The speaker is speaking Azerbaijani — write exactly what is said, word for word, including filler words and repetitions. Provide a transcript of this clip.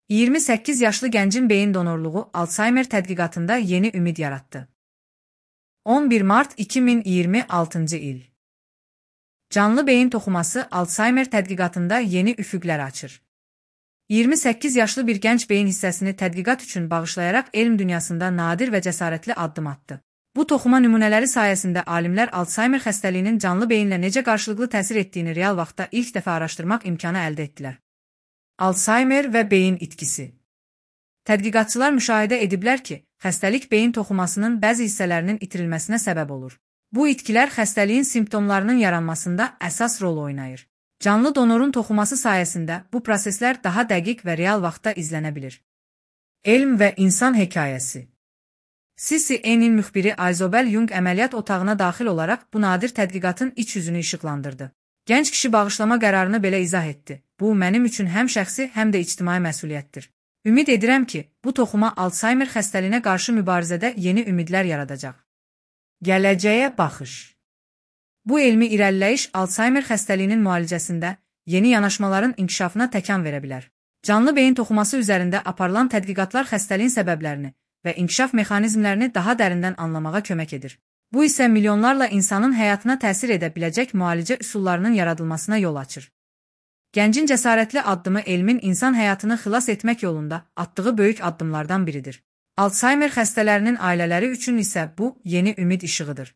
iyirmi səkkiz yaşlı gəncin beyin donorluğu Alzheimer tədqiqatında yeni ümid yaratdı. on bir mart iki min iyirmi altıncı il. Canlı beyin toxuması Alzheimer tədqiqatında yeni üfüqlər açır. iyirmi səkkiz yaşlı bir gənc beyin hissəsini tədqiqat üçün bağışlayaraq elm dünyasında nadir və cəsarətli addım atdı. Bu toxuma nümunələri sayəsində alimlər Alzheimer xəstəliyinin canlı beyinlə necə qarşılıqlı təsir etdiyini real vaxtda ilk dəfə araşdırmaq imkanı əldə etdilər. Alzheimer və beyin itkisi. Tədqiqatçılar müşahidə ediblər ki, xəstəlik beyin toxumasının bəzi hissələrinin itirilməsinə səbəb olur. Bu itkilər xəstəliyin simptomlarının yaranmasında əsas rol oynayır. Canlı donorun toxuması sayəsində bu proseslər daha dəqiq və real vaxtda izlənə bilir. Elm və insan hekayəsi. C C N-in müxbiri Ayzobel Yung əməliyyat otağına daxil olaraq bu nadir tədqiqatın iç yüzünü işıqlandırdı. Gənc kişi bağışlama qərarını belə izah etdi. Bu, mənim üçün həm şəxsi, həm də ictimai məsuliyyətdir. Ümid edirəm ki, bu toxuma Alzheimer xəstəliyinə qarşı mübarizədə yeni ümidlər yaradacaq. Gələcəyə baxış. Bu elmi irəliləyiş Alzheimer xəstəliyinin müalicəsində yeni yanaşmaların inkişafına təkan verə bilər. Canlı beyin toxuması üzərində aparılan tədqiqatlar xəstəliyin səbəblərini və inkişaf mexanizmlərini daha dərindən anlamağa kömək edir. Bu isə milyonlarla insanın həyatına təsir edə biləcək müalicə üsullarının yaradılmasına yol açır. Gəncin cəsarətli addımı elmin insan həyatını xilas etmək yolunda atdığı böyük addımlardan biridir. Alzheimer xəstələrinin ailələri üçün isə bu yeni ümid işığıdır.